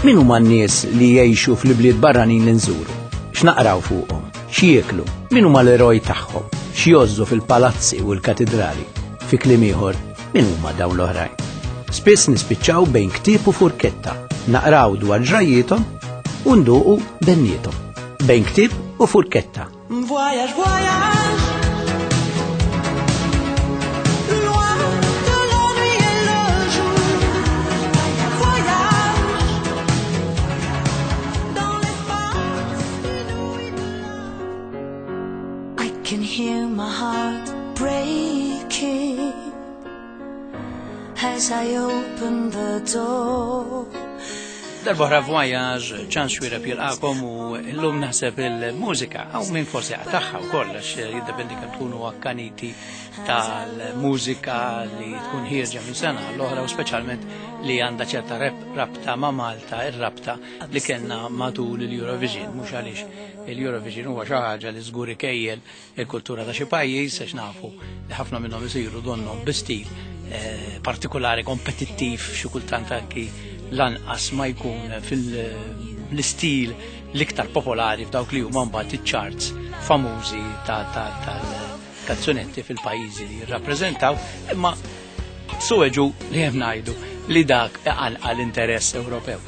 Min huma n-nies li jgħixu fl-ibliet barranin li nżuru? X'naqraw fuqhom? X'jieklu? Min huma l-eroj tagħhom? X'jgħożżu fil-palazzi u l-katidrali? Fi kliem ieħor, min huma dawn l-oħrajn? Spiss nispiċċaw bejn ktieb u furketta, naqraw dwar ġrajjiethom u nduqu benniethom. Bejn ktieb u furketta. Voyage, voyage. Loin de la nuit et le jour. Voyage. Dans l'espace inouï de I can hear my heart breaking as I open the door. Darbohra Voyage, ċans xwireb jilqakom u llum naħseb il-mużika, għaw minn forsi għataħħa u kollox, jiddependi kemm tkunu akkaniti tal-mużika li tkun ħierġa minn sena l-oħra u speċjalment li għandha ċerta rabta ma' Malta, ir-rabta li kellna matul il-Eurovision, mhux għaliex il-Eurovision huwa xi ħaġa li żgur ikejjel il-kultura ta' xi pajjiż għax nafu li ħafna minnhom isiru donnhom bi stil eh, partikolari kompetittiv xi kultant anki lanqas ma jkun fil-istil l-iktar popolari f'dawk li huma mbagħad iċ-charts famużi tal-kanzunetti fil-pajjiżi li jirrappreżentaw, imma suweġu li hemm ngħidu li dak iqanqal interess Ewropew.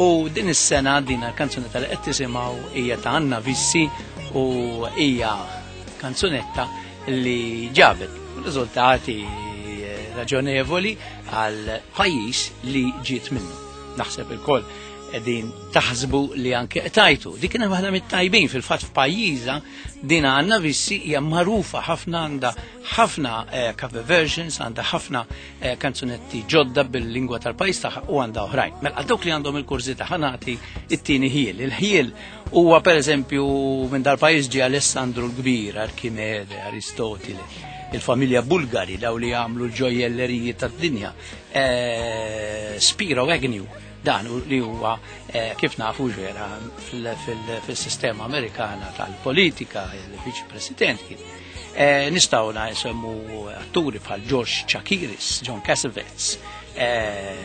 U din is-sena din il-kanzunetta li qed tisimgħu hija ta' Anna Vissi u hija kanzunetta li ġabet riżultati raġonevoli għal pajjiż li ġiet minnu. Naħseb il-koll qegħdin taħsbu li anke qtajtu. Dik kienet waħda mit-tajbin fil-fatt f'pajjiżha din Anna Vissi hija magħrufa ħafna għandha ħafna eh, cover versions, għandha ħafna eh, kanzunetti ġodda bil-lingwa tal-pajjiż tagħha u għandha oħrajn. Mela għal dawk li għandhom il-kurżità ħa nagħti it-tieni ħiel. Il-ħiel huwa pereżempju minn dal-pajjiż ġie Alessandru l-Kbir, Arkimede, Aristotile, il-familja Bulgari daw li għamlu l-ġojjelleriji tad-dinja, eh, Spiro Agnew, dan li huwa eh, kif nafu ġera fil-sistema Amerikana tal-politika, il-Viċi President kien. Eh, nistgħu nsemmu atturi bħal George Chakiris, John Cassavetes, eh,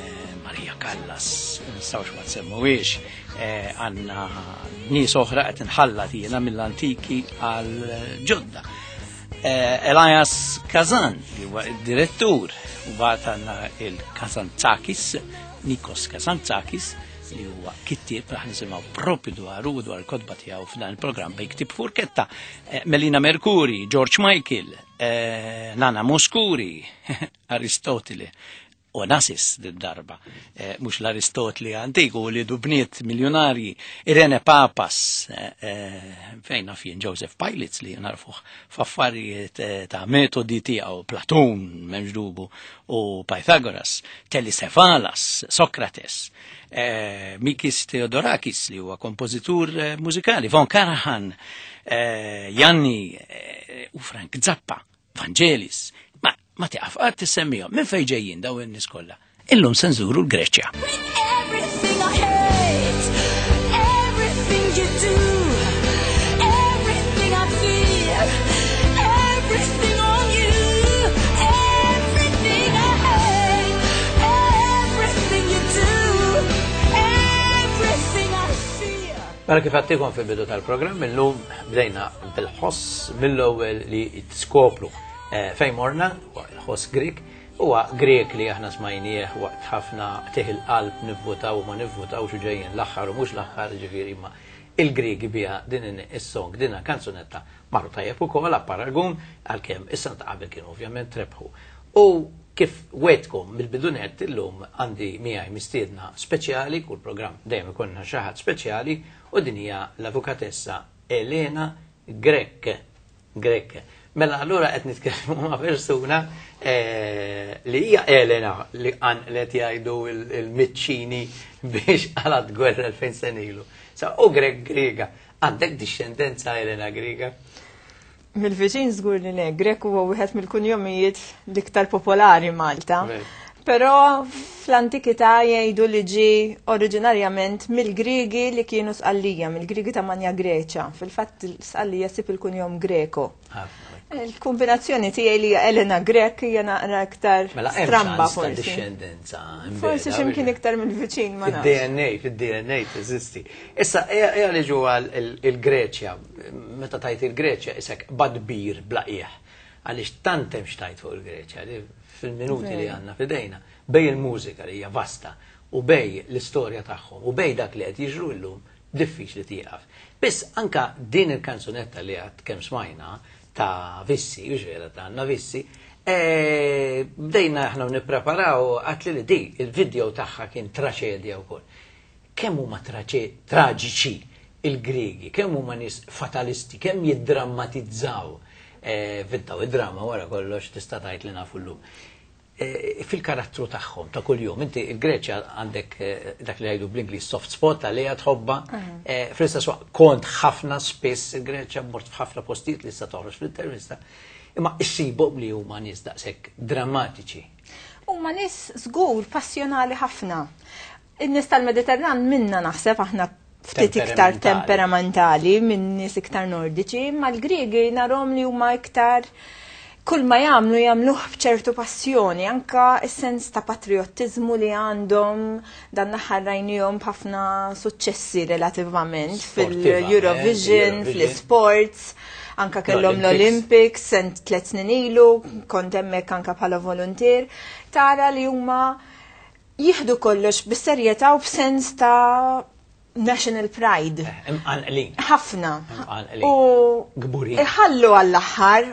Maria Callas, nistgħux ma nsemmuhiex, għandna nies oħra qed inħallat jiena mill-antiki għal ġodda. Elias Kazan, li huwa id-direttur, u mbagħad għandna il-Kazantzakis, Nikos Kazantzakis, li huwa kittieb raħ nisimgħu propju dwaru u dwar il-kotba tiegħu f'dan il-programm bejn ktieb furketta. Eh, Melina Mercuri, George Michael, eh, Nana Mouskouri, Aristotile, Onassis darba eh, mhux l-Aristotli antiku li bniet miljonarji, Irene Papas, fejn naf jien Joseph Pilitz li narfuh f'affarijiet ta' metodi tiegħu, Platun, m'hemmx dubu, u Pythagoras, Telly Savalas, Socrates, eh, Mikis Theodorakis li huwa kompożitur eh, mużikali, Von Karajan, eh, Janni eh, u Frank Zappa, Vangelis. Ma, ma tiqaf qatt tissemmihom. Minn fejn ġejjin daw in-nies kollha? Illum se nżuru l-Greċja. Everything I hate, everything you do, everything I fear, everything on you, everything I hate, everything you do, everything I fear. Mela kif għattikom fil-bidu tal-programm, illum bdejna bil-ħoss mill-ewwel li tiskopru eh, fejn morna, huwa l-ħoss Grik, Huwa Grieg li aħna smajnieh waqt ħafna qtigħ il-qalb nivvutaw u ma nivvutawx u ġejjin l-aħħar u mhux l-aħħar, jiġifieri imma il-Griegi biha din is-song, din il-kanzunetta marru tajjeb ukoll apparagun għalkemm is-sena ta' qabel kienu ovvjament rebħu. U kif wegħdtkom mill-bidu nett illum għandi miegħi mistiedna speċjali, kull programm dejjem ikollna xi ħadd speċjali u din hija l-avukatessa Elena Grech. Grech. Mela allura qed nitkellmu ma' persuna eh, li hija Elena li qanqlet jgħidu il-miċċini biex qalat gwerra 2000 sena ilu. Sa u Grek Griega, għandek dixxendenza Elena Griega? Mill-viċin żgur li le, Grek huwa wieħed mill-kunjomijiet l-iktar popolari Malta. Però fl-antikità jgħidu li ġie oriġinarjament mill-Griegi li kienu Sqallija, mill-Griegi ta' Manja Greċa. Fil-fatt Sqallija ssib il-kunjom Greco. Il-kombinazzjoni tiegħi li hija Elena Grek hija naqra iktar Mela hemm stramba ċans ta' forsi. discendenza. Forsi imbeda, x'imkien iktar mill-viċin ma nafx. Fid-DNA, fid-DNA teżisti. Issa, eja li ġu għal il-Greċja, meta tajt il-Greċja, isek badbir blaqieħ. Għaliex tant hemm xtajt fuq il-Greċja, li fil-minuti li għandna fidejna, bej il-mużika li hija vasta, u bej l-istorja tagħhom, u bej dak li qed jiġru llum, diffiċli tieqaf. Biss anka din il-kanzunetta li għad kemm smajna ta' Vissi, u vera ta' Anna Vissi, bdejna aħna nippreparaw għatli li di, il-video tagħha kien traċedja wkoll. Kemm huma traġiċi il-Griegi, kemm huma nies fatalisti, kemm jiddrammatizzaw, vintaw id-drama wara kollox tista' tgħid li nafu llum. Fil-karattru tagħhom ta' kuljum, inti il-Greċja għandek dak li jgħidu bl-Ingliż soft spot għalija tħobba, fl-istess waqt kont ħafna spiss il-Greċja, mort f'ħafna postijiet li issa toħroġ fl-intervista, imma issibhom li huma nies daqshekk drammatiċi. Huma nies żgur passjonali ħafna. In-nies tal-Mediterran minna naħseb aħna ftit iktar Temperamentali. temperamentali minn nies iktar nordiċi, imma l-Griegi narhom li huma iktar kull ma jagħmlu jagħmluh b'ċertu passjoni, anka s-sens ta' patriottiżmu li għandhom dan l-aħħar rajnihom b'ħafna suċċessi relativament Sportiva, fil-Eurovision, Eurovision. fl-sports, anka kellhom L-Olympics. l-Olympics sent 3 snin ilu, kont hemmhekk anka bħala volunteer, tara li huma jieħdu kollox bis-serjetà u b'sens ta' national pride. Imqanqlin. Ħafna. Imqanqlin. U Kburin. Iħallu għall-aħħar,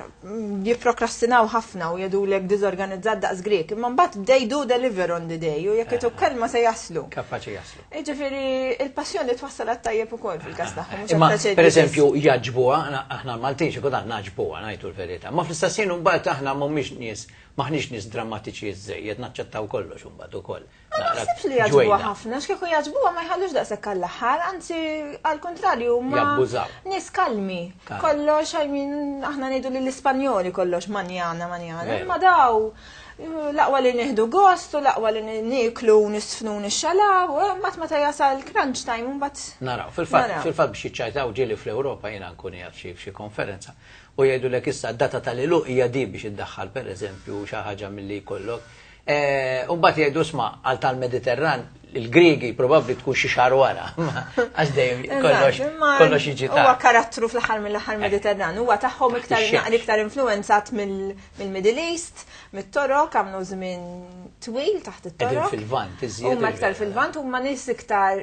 jipprokrastinaw ħafna u jgħidulek diżorganizzat daqs Grek, imma mbagħad they do deliver on the day u jekk ituk kelma se jaslu. Kapaċi jaslu. Jiġifieri il-passjoni twassal għat-tajjeb ukoll fil-każ tagħhom, mhux Imma, għat-traċedji per biss. eżempju, jaġbuha, aħna l-Maltin xi kultant naġbuha, ngħidu l-verità. Ma fl-istess ħin mbagħad aħna mhumiex nies, maħniex nies drammatiċi żejjed, naċċettaw kollox imbagħad ukoll. Ma naħsibx li jaġbuha ħafna, x'kieku jaġbuha ma jħallux daqshekk għall-aħħar, anzi għall-kontrarju ma Jabbużaw. nies kalmi. Kalmi. Kollox, I mean, aħna ngħidu lill-Ispanjoli kollox manjana, manjana. Veru. Imma daw l-aqwa li nieħdu gost u l-aqwa li nieklu u nisfnu u nixxalaw, u mbagħad meta jasal crunch time u mbagħad Naraw, Naraw. fil-fatt biex jiċċajtaw ġieli fl-Ewropa jiena nkun qiegħed f'xi konferenza u jgħidulek issa d-data tal-iluq hija di biex iddaħħal pereżempju xi ħaġa milli jkollok. U mbagħad jgħidu sma' għal tal-Mediterran il-Griegi probabbli tkun xi xahar wara. Għax dejjem Eżatt, imma kollox jiġi Huwa tard. karattru fl-aħħar mill-aħħar Mediterran, huwa tagħhom iktar Ix-xemx. naqra iktar influenzat mill-Middle East, mit-Torok, għamlu żmien twil taħt Qegħdin it-Torok. fil-Lvant, iżjed Huma iktar il-vera. fil-Lvant, huma nies iktar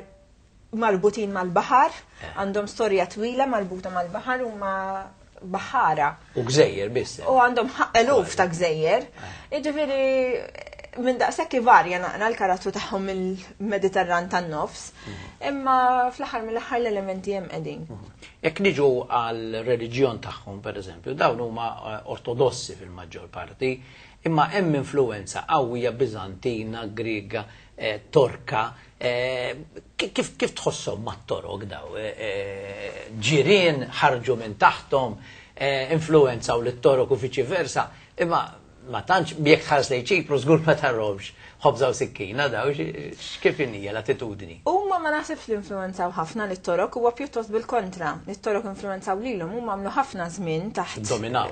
marbutin mal-baħar, għandhom storja twila marbuta mal-baħar, huma baħara. U gżejjer biss. U għandhom eluf ta' gżejjer. Jiġifieri minn daqshekk ivarja naqra l-karattru tagħhom mill-Mediterran tan-nofs, imma fl-aħħar mill-aħħar l-elementi hemm qegħdin. Jekk niġu għal reliġjon tagħhom pereżempju, dawn huma ortodossi fil-maġġor parti, imma hemm influenza qawwija Biżantina, Griega, Torka. Kif tħosshom mat-Torok daw? Ġirien ħarġu minn taħtom, influenza u lit-Torok u viċi versa, imma ma tantx jekk tħares lejn Ċipru żgur ma tarhomx ħobża u sikkina daw, x'kif inhija l-attitudni? Huma ma naħsibx li influenzaw ħafna lit-Torok, huwa pjuttost bil-kontra. Lit-Torok influenzaw lilhom, huma għamlu ħafna żmien taħt Dominaw.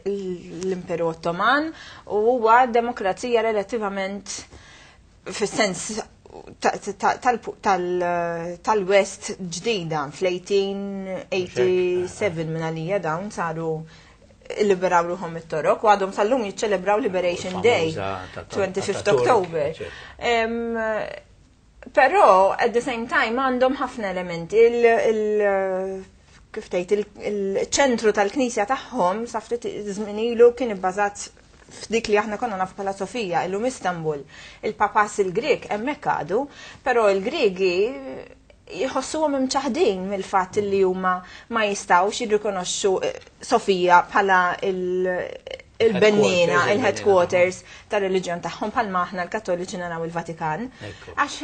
l-Imperu Ottoman u huwa demokrazija relattivament fis-sens tal-West ġdida fl-1887 minn għalija dawn saru liberaw ruħhom it-Torok u għadhom sal-lum jiċċelebraw Liberation Day, Famuża 25 ta' Turk, October. eccetera. Però at the same time għandhom ħafna elementi. Kif tgħid, il-ċentru tal-knisja tagħhom sa ftit żmien ilu kien ibbażat f'dik li aħna konna nafu bħala Sofija, illum Istanbul. Il-papas il-Grek hemmhekk għadu, però il-Griegi jħossuhom imċaħdin mill-fatt li huma ma jistgħux jirrikonoxxu Sofija bħala il-bennina, Headquarters, il-headquarters tar-reliġjon tagħhom bħalma aħna l-Kattoliċi naraw il-Vatikan. Ekku. Għax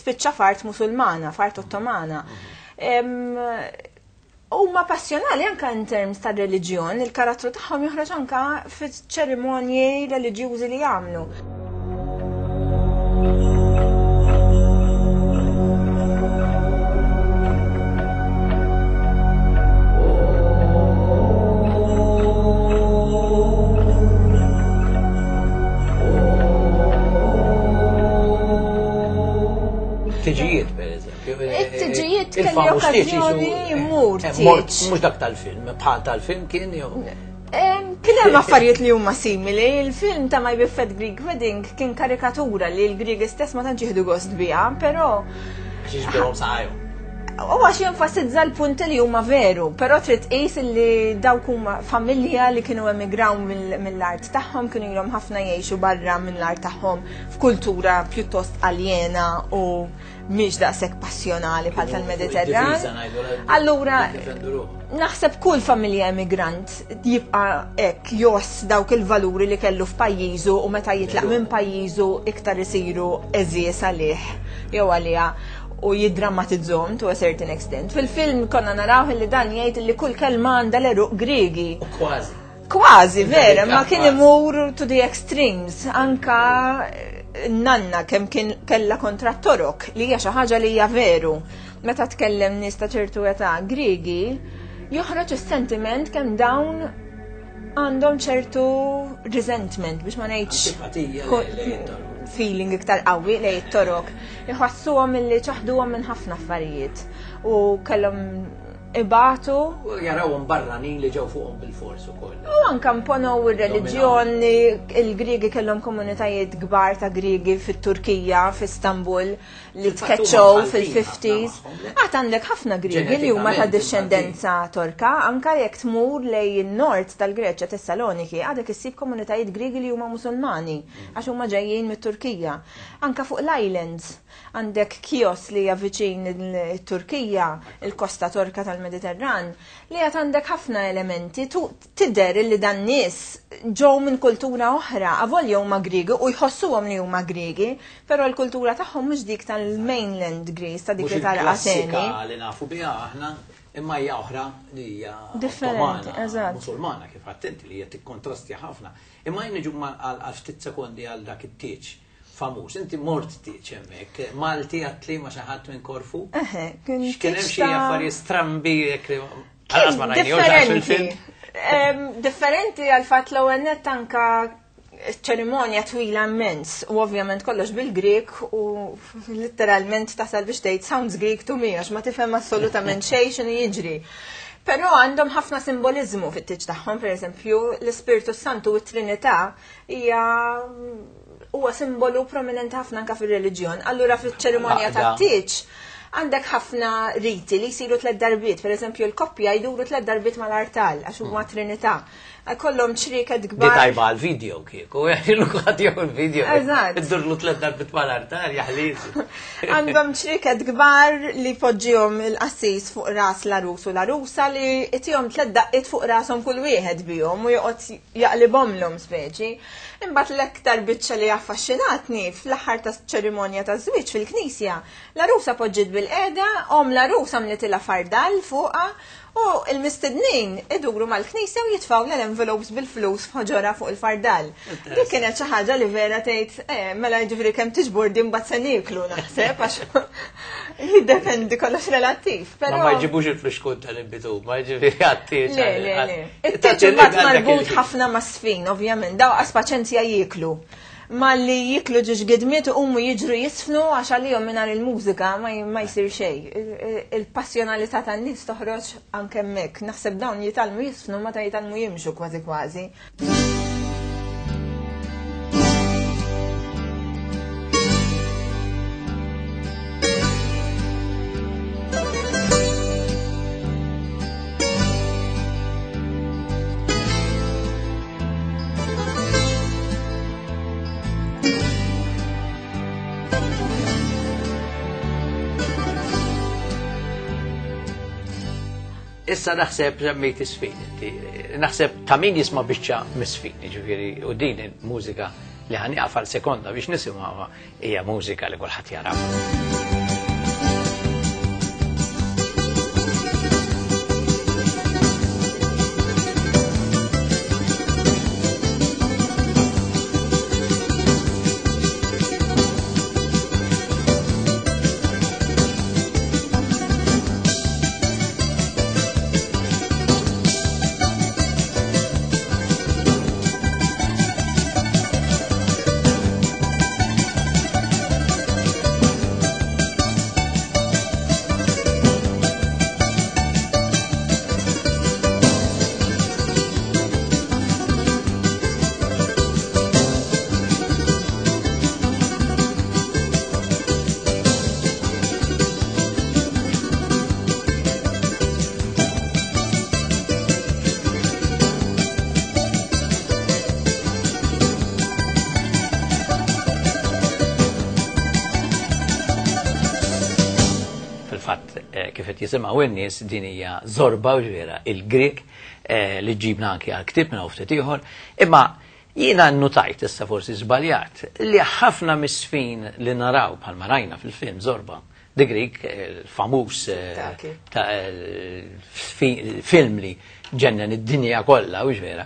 spiċċa fart Musulmana, fart Ottomana. Huma passjonali anka in terms ta' reliġjon, il-karattru tagħhom joħroġ anka fiċ-ċerimonji reliġjużi li jagħmlu. Tiġijiet, per eżempju. It-tiġijiet kelli Il-famuż tieġ okkażjoni jisu- mmur Mort, tieġ. mhux dak tal-film, bħal tal-film kien jew. Kien hemm affarijiet li huma simili, il-film ta' My Big Fat Greek Wedding kien karikatura li l-Griegi stess ma tantx jieħdu gost biha, però Għax jiġbirhom saqajhom. U għax jenfasizza l-punti li huma veru, però trid tqis li dawk huma familja li kienu emigraw mill-art tagħhom, kienu ilhom ħafna jgħixu barra mill-art tagħhom f'kultura pjuttost aljena u mhix daqshekk passjonali bħal tal-Mediterran. Id-difiża ngħidu la- Allura, jiddefendu ruħhom. naħseb kull familja emigrant jibqa' hekk joss dawk il-valuri li kellu f'pajjiżu u meta jitlaq minn pajjiżu iktar isiru eżies għalih jew għaliha u jiddramatizzhom to a certain extent. Fil-film konna naraw li dan jgħid li kull kelma għandha l-eruq Griegi. U kważi. Kważi, vera, ma kien Kważi. imur to the extremes, anka nanna kemm kien kella kontra torok li hija xi ħaġa li hija veru. Meta tkellem nies ta' ċertu età Griegi, joħroġ is-sentiment kemm dawn għandhom ċertu resentment biex ma ngħidx Antipatija lejn it-torok. feeling iktar qawwi lejn it-torok. Iħossuhom illi ċaħduhom minn ħafna affarijiet u kellhom ibatu U jarawhom barranin li ġew fuqhom bil-fors ukoll. U anka mponow ir-reliġjon, il-Griegi kellhom komunitajiet kbar ta' Griegi fit-Turkija, f'Istanbul, li Fil-fatt huma tkeċċew Maltin fil-50s. ħafna magħhom, le? Għad għandek ħafna Griegi li huma ta' Ġenetikament discendenza Torka, anka jekk tmur lejn in-nord tal-Greċja Tessaloniki, għadek issib komunitajiet Griegi li huma Musulmani, għax huma ġejjin mit-Turkija. Anka fuq l-islands, għandek Kios li hija viċin il-Turkija, il-kosta Torka tal-Mediterran, li għad għandek ħafna elementi, tidher li dan nies ġew minn kultura oħra, avolja huma Griegi u jħossuhom li huma Griegi, però l-kultura tagħhom mhux dik tal-mainland Greece, ta' dik Mhux li tara il-klassika Ateni. li nafu biha aħna, imma hija oħra li hija Differenti, Ottomana, eżatt. Musulmana kif attenti li hija tikkontrastja ħafna. Imma jien niġu għal ftit sekondi għal dak it-tieġ famuż. Inti mort tieġ hemmhekk, Malti għatli ma xi ħadd minn Korfu. Eħe, kien X'kien hemm tieġ xi ta' affarijiet strambi jekk li Għalas ma rajnihomx għax Differenti. fil-film. Differenti għal fatt l-ewwel nett anka ċerimonja twila immens u ovvjament kollox bil-Grek u literalment tasal biex tgħid sounds Greek to me għax ma tifhem assolutament xejn x'inhu jiġri. Però għandhom ħafna simbolizmu fit-tieġ tagħhom, pereżempju, l-Ispirtu Santu u t-Trinità hija huwa simbolu prominenti ħafna anka fir-reliġjon. Allura fiċ-ċerimonja Għaqda. tat-tieġ għandek ħafna riti li jsiru tliet darbiet, per eżempju l-koppja jduru tliet darbiet mal-artal għax huma Trinità. Kollhom ċrieket Di kbar. tajba għal-video kieku, jgħilu għad jew il-video. Eżatt. Iddurlu tlet darbit mal-artal, jaħliż. Għandhom ċrieket kbar li poġġihom il-qassis fuq ras l-arus u l-arusa li itihom tliet daqqiet fuq rashom kull wieħed bihom u joqgħod jaqlibhomlhom speċi. Imbagħad l-aktar biċċa li affaxxinatni fl-aħħar ta' ċerimonja ta' żwieġ fil-knisja, l-arusa poġġiet bil-qeda, om l-arusa mlitilha fardal fuqha u l-mistednin iduru mal-knisja u jitfaw l-envelopes bil-flus f'ħoġora fuq il-fardal. Dik kienet xi ħaġa li vera tgħid, mela jiġifieri kemm tiġbor din mbagħad se nieklu naħseb għax jiddependi kollox relattiv. Ma Però ma jġibux il-flixkun tal-imbitu, ma jġifieri għat-tieġ. Le, le, le. It-tieġ imbagħad marbut ħafna ma' sfin, ovvjament, daw qas paċenzja jieklu. Ma li jiklu ġiex gidmiet u umu jiġru jisfnu għax għalihom mingħajr il-mużika ma jsir xejn. Il-passjonalità tan-nies toħroġ anke hemmhekk. Naħseb dawn jitgħallmu jisfnu meta jitgħallmu jimxu kważi kważi. Issa naħseb semmejt isfin, inti. Naħseb ta' min jisma' biċċa misfin, ġifieri, u din il-mużika li ħaniqaf għal sekonda biex nisimgħuha hija mużika li kulħadd jara. Fil-fatt kif qed jisimgħu n-nies din hija Zorba u ġvera il-Grek li ġibna anki għal ktieb minn ftit ieħor, imma jiena nnutajt issa forsi żbaljat li ħafna mis-sfin li naraw bħalma rajna fil-film Zorba The Greek, il-famuż film li ġennen id-dinja kollha u vera.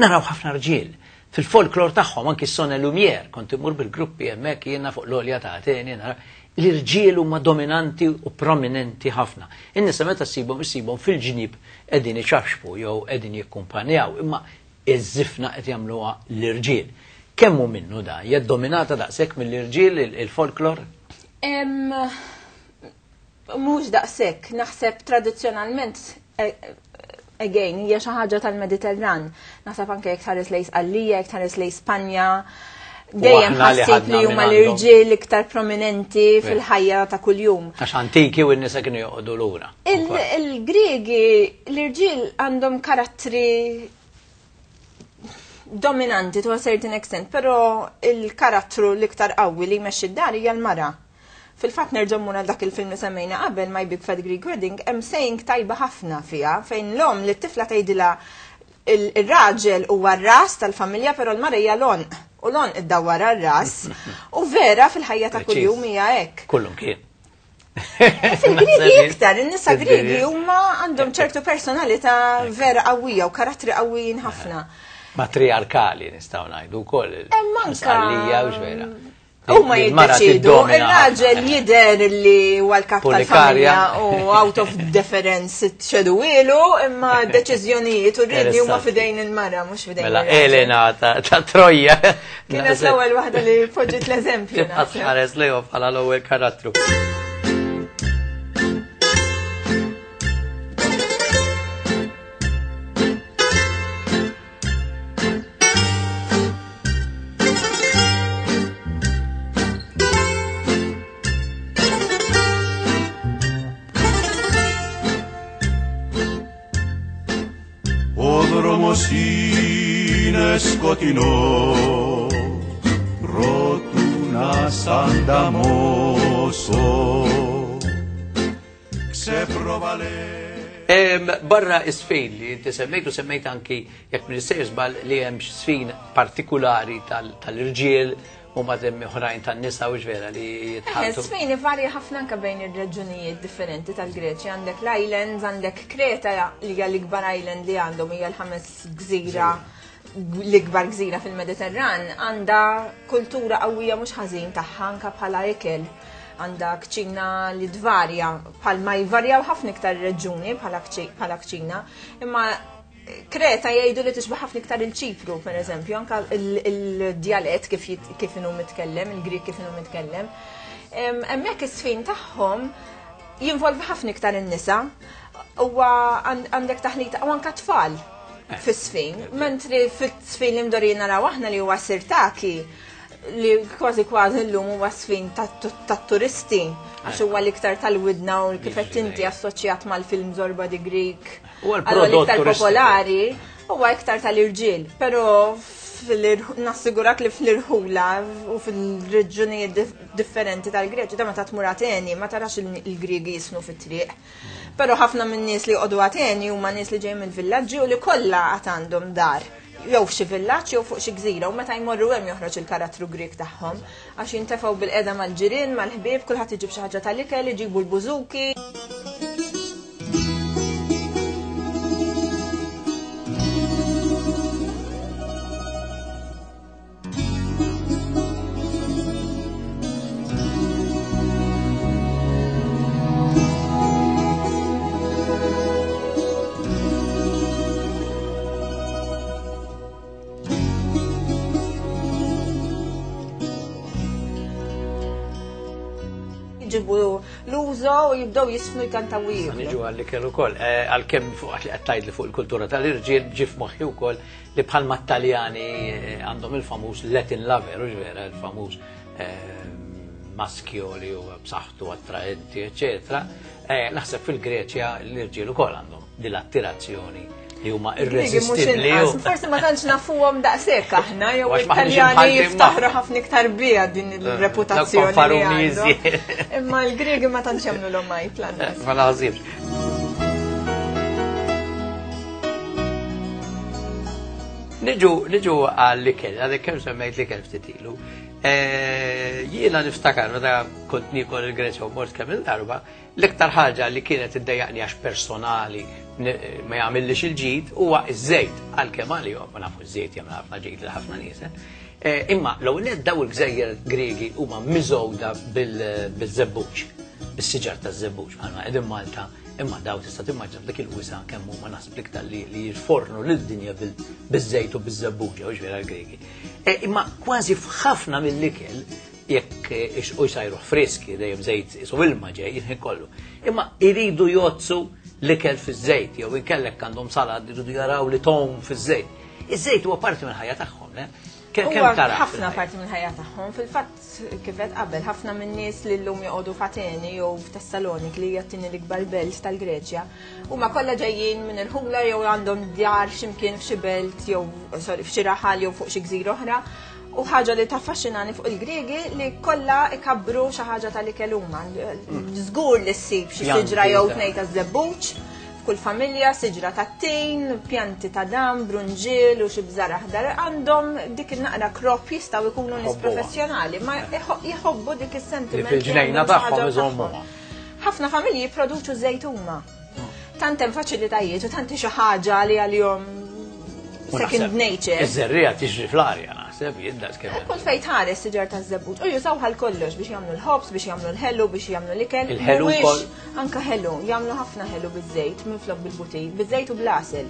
Naraw ħafna rġiel fil-folklor tagħhom anki s-Son Lumière, kont imur bil-gruppi hemmhekk jiena fuq l-olja ta' Ateni nara l-irġiel huma dominanti u prominenti ħafna. In-nisa meta ssibhom issibhom fil-ġnib qegħdin iċafxfu jew qegħdin jikkumpanjaw, imma iż-żifna qed jagħmluha l-irġiel. Kemm hu minnu da? Hija dominata daqshekk mill-irġiel il-folklor? Mhux daqshekk, naħseb tradizzjonalment again hija xi ħaġa tal-Mediterran. Naħseb anke jekk tħares lejn Sqallija, jekk tħares lejn Spanja, dejjem ħassib li huma l-irġiel iktar prominenti fil-ħajja ta' kuljum. Għax antiki u n-nisa kienu joqogħdu lura. Il-Griegi, l-irġiel għandhom karattri dominanti to a certain extent, però il-karattru l-iktar qawwi li jmexxi d-dar hija l-mara. Fil-fatt nerġgħu mmur għal dak il-film li semmejna qabel My Big Fat Greek Wedding, hemm saying tajba ħafna fiha fejn l-omm li t-tifla tgħidilha il-raġel huwa r-ras tal-familja però l-mara hija l-għonq u l-għonq iddawwar għar-ras. U vera fil-ħajja ta' kuljum hija hekk. Kullum kien. Fil-Griegi iktar, in-nisa Griegi huma għandhom ċertu personalità vera qawwija u karattri qawwijin ħafna. Matriarkali nistgħu ngħidu wkoll. Hemm anka. u vera. Huma jiddeċidu, ir-raġel jidher li huwa l-kap tal-familja u out of deference ċedu ilu, imma deċiżjonijiet u rridni huma fidejn il-mara, mhux fidejn. Mela Elena ta' Troja. Kienet l-ewwel waħda li poġġiet l-eżempju. Tibqa' tħares lejhom bħala l-ewwel karattru. Ο δρόμος είναι σκοτεινός, προτού να σ' ανταμώσω. Ξεπροβαλέ. Barra is-sfin li inti semmejt u semmejt anki jekk minn sejr żball li hemm sfin partikulari tal-irġiel u ma temmi oħrajn tan-nisa u vera li jitħalltu. Sfin ivarja ħafna anke bejn ir-reġunijiet differenti tal-Greċja. Għandek l-islands, għandek Kreta li hija l-ikbar island li għandhom hija l-ħames gżira l-ikbar gżira fil-Mediterran, għandha kultura qawwija mhux ħażin tagħha anke bħala ikel. Għandha kċina li tvarja, bħalma jvarjaw ħafna iktar reġuni bħala kċina, imma Kreta jgħidu li tixbaħ ħafna iktar il-Ċipru, per eżempju, anka il-djalett kif inhu mitkellem, il-Grieg kif inhu mitkellem. Hemmhekk is-sfin tagħhom jinvolvi ħafna iktar in-nisa, huwa għandek taħlita u anka tfal fis-sfin, mentri fis-sfin li mdorin naraw aħna li huwa sirtaki, li kważi kważi llum huwa sfin tat-turisti, għax huwa l-iktar tal-widna u kif qed inti assoċjat mal-film Zorba the Greek. U Allura għal-prodott l-iktar turistiku. popolari huwa iktar tal-irġiel, però nassigurak li fl-irħula u fil-reġunijiet differenti tal-Greċja, da meta tmur Ateni, ma tarax il-Griegi jisnu fit-triq. Però ħafna minn nies li joqogħdu Ateni huma nies li ġejjin mill-villaġġi u li kollha għad għandhom dar. Jew f'xi villaġġ jew fuq xi gżira u meta jmorru hemm joħroġ il-karattru Grieg tagħhom għax jintefgħu bil-qeda mal-ġirien, mal-ħbieb, kulħadd iġib xi ħaġa tal-ikel, iġibu l-bużuki. Jġibu l-użo u jibdew jisfnu jkantaw jieħdu. Niġu għalli kellu kol, għal-kem fuq li għattajt li fuq il-kultura tal-irġiel ġif moħħi wkoll li bħalma Taljani għandhom il-famuż Latin lover, u vera, il-famuż maskio li huwa b'saħħtu attraenti, eccetera. Naħseb fil-Greċja l-irġiel ukoll għandhom din l-attirazzjoni. Li huma Griegi mhux irresistibbli. inqas, Forsi ma tantx nafuhom daqshekk aħna jew Għax maħniex it-Taljani imħalltin jiftaħru magħhom. ħafna iktar biha din il-reputazzjoni. Dawk fanfaruni li għandhom. iżjed. Imma l-Griegi ma tantx jagħmlu l għajb lanqas. Ma naħsibx. Niġu, niġu għall-ikel, għadek kemm semmejt l-ikel ftit ilu. Jiena niftakar meta kont niekol il-Greċja u mort kemm il-darba, l-iktar ħaġa li kienet iddejjaqni għax personali ma jagħmillix il-ġid huwa iż-żejt għalkemm għalihom, ma nafu iż-żejt jagħmel ħafna ġid lil ħafna nies. Imma l-ewwel nett daw il-gżejjer Griegi huma miżgħuda bil-żebbuġ, bis-siġar taż-żebbuġ bħalma qegħdin Malta, imma daw tista' timmaġina f'dik il-wisa kemm huma naħseb l-iktar li jfornu lid-dinja biż-żejt u biż-żebbuġa, hux vera l-Griegi. Imma kważi f'ħafna mill-ikel jekk u jsajru friski dejjem żejt isu ilma ġej il-ħin kollu. Imma iridu jozzu l-ikel fiż-żejt jew inkellek għandhom salad iridu jaraw li tom fiż-żejt. Iż-żejt huwa parti mill-ħajja tagħhom, le? Kemm Huwa tara ħafna fil-ħajja? parti mill-ħajja tagħhom. Fil-fatt kif qed qabel, ħafna min-nies li llum joqogħdu f'Ateni jew f'Tessalonik li hija t-tieni l-ikbar belt tal-Greċja, huma kollha ġejjin minn il-ħula jew għandhom djar x'imkien f'xi belt jew sorry f'xi raħal jew fuq xi gżira oħra. U ħaġa li taffaxxinani fuq il-Griegi li kollha ikabbru xi ħaġa tal-ikel huma. Żgur li ssib xi Pjanti siġra jew ta' tnejn taż-żebbuġ f'kull familja, siġra ta' tin, pjanti ta' dam, brunġiel u xi bżar aħdar. Għandhom dik il-naqra crop jistgħu jkunu nies Jħobbuha. professjonali, ma jħobbu dik is-sentiment. Li fil-ġnejna li għandhom xi tagħhom ħaġa iżommuha. tagħhom. Ħafna familji jipproduċu żejt huma. Tant hemm faċilitajiet u tant hi xi ħaġa li għalihom U second naħseb nature. Iż-żerriegħa tiġri fl-arja naħseb jiddas kemm. Kull fejn tħares siġar ta' żebbuġ. U jużaw għal kollox biex jagħmlu l-ħobż, biex jagħmlu l-ħelu, biex jagħmlu l-ikel. Il-ħelu Mhuwiex wkoll? Anka ħelu, jagħmlu ħafna ħelu biż-żejt minflok bil-butir, biż-żejt u bl-għasel.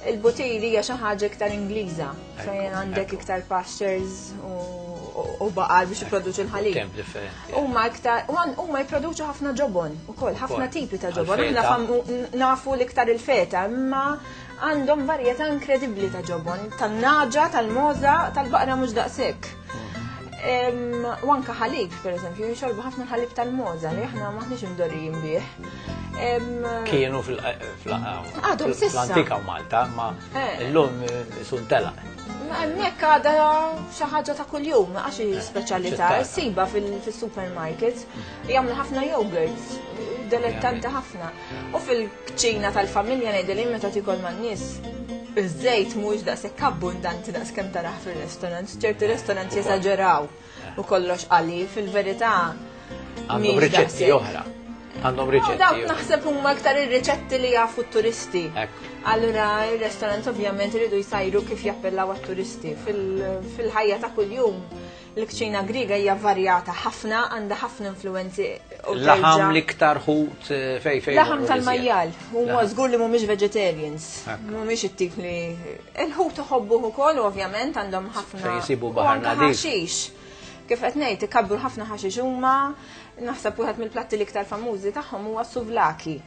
Il-butir hija xi ħaġa iktar Ingliża, fejn għandek iktar pastures u baqar biex jipproduċu l-ħalib. Temp differenti. Huma iktar u huma jipproduċu ħafna ġobon ukoll, ħafna Ukoll. tipi ta' ġobon. Għal-feta. Aħna nafu l-iktar il-feta, imma għandhom varjetà inkredibbli ta' ġobon, tan-naġa, tal-moza, tal-baqra mhux daqshekk. U anka ħalib, per eżempju, jixorbu ħafna ħalib tal-moza li aħna maħniex imdorrijin bih. Kienu Għadhom s'issa. fl-antika u Malta, ma illum sun telaq. Ma hemmhekk għadha xi ħaġa ta' kuljum, għax hi speċjalità, ċittata. ssiba fil-supermarket, jagħmlu ħafna yogurts, delettanti ħafna. U fil-kċina tal-familja ngħidilhom meta tikol man-nies, iż-żejt mhuwiex daqshekk abbundanti daqs kemm tarah fir-restaurant, ċerti restaurants jesaġeraw u kollox qali, fil-verità Għandhom mhix riċetti daqshekk. oħra. Għandhom U riċetti. dawk oħra. naħseb huma iktar ir-riċetti li jafu t-turisti. Ekku. Allura ir-restaurants ovvjament iridu jsajru kif jappellaw għat-turisti. Fil-ħajja ta' kuljum l-kċina Griega hija varjata ħafna, għandha ħafna influenzi u Laħam terġa' l-iktar ħut fej fej. Laħam morru tal-majjal, huma Laħam. żgur li mhumiex vegetarians. Ekku. Mhumiex it-tip li il-ħut iħobbuh ukoll u ovvjament għandhom ħafna. Fejn jsibu u baħar anke nadif. ħaxix. Kif qed ngħid ikabbru ħafna ħaxix huma, naħseb wieħed mill-platti l-iktar famużi tagħhom huwa s-suvlaki.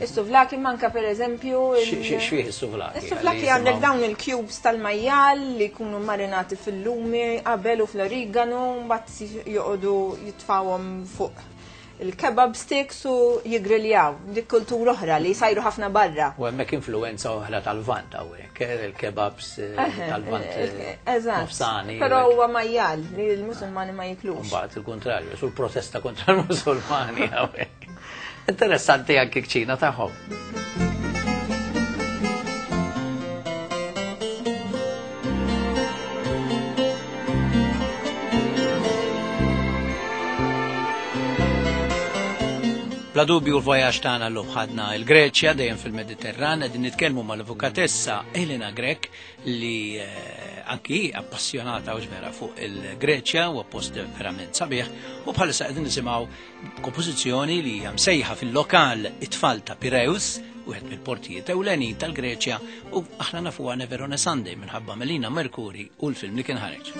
Is-suvlaki manka per eżempju X'fih is-suvlaki? Is-suvlaki għandek dawn il-cubes tal-majjal li jkunu marinati fil-lumi qabel u fl-origano, mbagħad joqogħdu jitfawhom fuq il-kebab sticks u jigriljaw. Dik kultura oħra li jsajru ħafna barra. U hemmhekk influenza oħra tal-Lvant hawnhekk, il-kebabs tal-Lvant Eżatt. nofsani. Però huwa majjal li l-Musulmani ma jiklux. Mbagħad il-kontrarju, sul protesta kontra l-Musulmani hawnhekk. Interessanti anki kċina tagħhom. Bla dubju l-vojaġġ tagħna llum ħadna l-Greċja dejjem fil-Mediterran qegħdin nitkellmu mal-avukatessa Elena Grech li anki hi appassjonata u vera fuq il-Greċja u post verament sabiħ u bħalissa qegħdin nisimgħu kompożizzjoni li hija msejħa fil-lokal it-tfal ta' Pireus, wieħed mill-portijiet ewlenin tal-Greċja u aħna nafuha Never on a Sunday minħabba Melina Mercuri u l-film li kien ħareġ.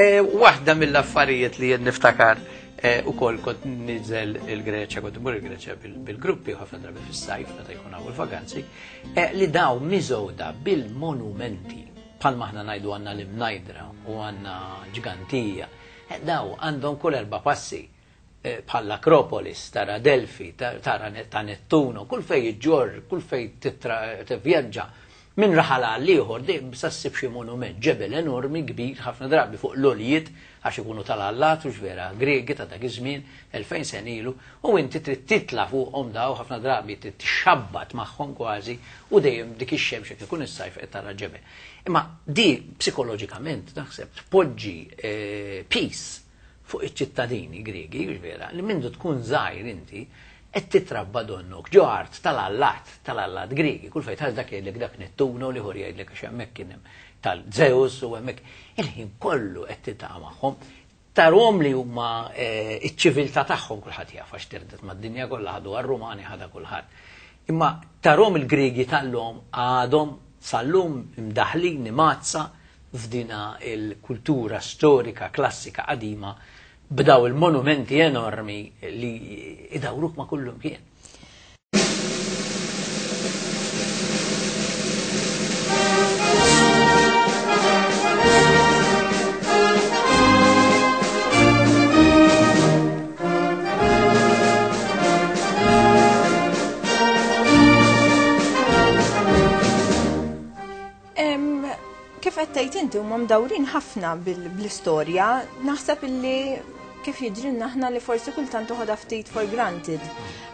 Waħda mill-affarijiet li jien niftakar ukoll kont niżel il-Greċja, kont imur il-Greċja bil-gruppi u ħafna drabi fis-sajf meta jkun hawn il-vaganzi, li daw miżgħuda bil-monumenti bħalma aħna ngħidu għandna l-Imnajdra u għandna Ġgantija. Daw għandhom kull erba' passi bħall-Akropolis, tara Delfi, tara ta' Nettuno, kull fej iġġorr, kull fej tivvjaġġa minn raħal għal ieħor dejjem sa ssib xi monument, ġebel enormi kbir ħafna drabi fuq l-għoljiet għax ikunu tal-allat u vera Griegi ta' dak iż-żmien 2000 sena ilu u inti trid titla' fuqhom daw ħafna drabi trid tixxabbat magħhom kważi u dejjem dik ix-xemx jekk ikun is-sajf qed tara ġebel. Imma di psikoloġikament naħseb tpoġġi peace fuq iċ-ċittadini Griegi, hux vera, li mindu tkun żgħir inti qed titrabba donnok ġo art tal-allat, tal-allat Griegi, kull fejn tħares dak jgħidlek dak Nettuno, l-ieħor jgħidlek għax hemmhekk kien hemm tal-Zeus u hemmhekk il-ħin kollu qed tiltaqa' magħhom. Tarhom li huma iċ-ċiviltà tagħhom kulħadd jaf għax tirdet mad-dinja kollha ħaduha r-Rumani ħadha kulħadd. Imma tarhom il-Griegi tal-lum għadhom sal-lum imdaħħlin imgħaddsa f'dina il-kultura storika klassika qadima b'daw il-monumenti enormi li idawruk ma' kullum kien. Kif qed tgħid inti huma mdawrin ħafna bl-istorja, naħseb illi kif jiġrilna aħna li forsi kultant toħodha ftit for granted.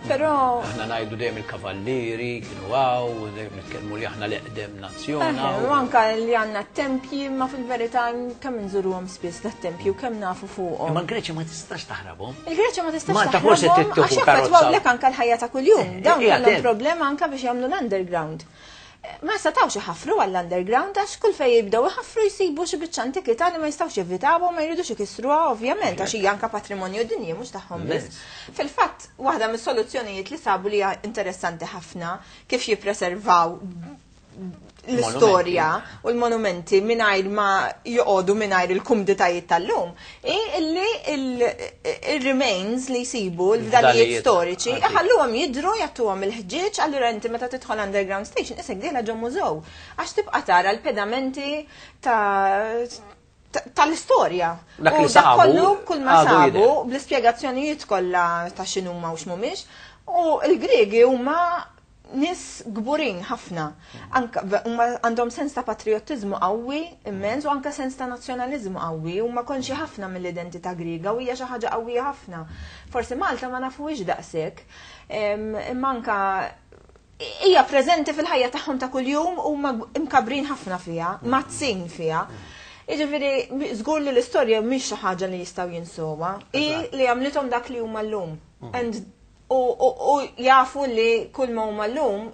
Però aħna ngħidu dejjem il-kavallieri kienu hawn, dejjem nitkellmu li aħna l-eqdem nazzjon. U anka li għandna tempji, ma fil-verità kemm inżuruhom spiss dat-tempju, kemm nafu fuqhom. Imma l-Greċja ma tistax taħrabhom. Il-Greċja ma tistax Malta forsi taħrabhom trid tieħu karozza. Għax anka l-ħajja ta' kuljum. Dawn kellhom problema anka biex jagħmlu l-underground. Ma setgħux iħaffru għall-underground għax kull fejn jibdew iħaffru jsibu xi biċċa antikità li ma jistgħux jevitawha u ma jridux ikissruha ovvjament għax hija anke patrimonju dinji mhux tagħhom biss. Fil-fatt, waħda mis-soluzzjonijiet li sabu li hija interessanti ħafna kif jippreservaw l-istorja u l-monumenti mingħajr ma joqogħdu mingħajr il-kumditajiet tal-lum, hi illi il-remains li jsibu l-fdalijiet storiċi iħalluhom jidhru jagħtuhom il-ħġieġ, allura inti meta tidħol underground station isek dieħla ġo mużew għax tibqa' tara l-pedamenti tal-istorja. Dak li U dak sabu, kollu kull ma għadu sabu jidher. bl-ispjegazzjonijiet kollha ta' x'inhuma u x'mhumiex, u l-Griegi huma nies kburin ħafna. Anka huma għandhom sens ta' patriottiżmu qawwi immens u anka sens ta' nazzjonaliżmu qawwi, huma konxi ħafna mill-identità Griega u hija xi ħaġa qawwija ħafna. Forsi Malta ma nafuhiex daqshekk, imma anka hija preżenti fil-ħajja tagħhom ta' kuljum u huma imkabrin ħafna fiha, mazzin fiha. Jiġifieri żgur li l-istorja mhix xi ħaġa li jistgħu jinsuha, hi li għamlithom dak li huma llum. And u jafu li kull ma huma llum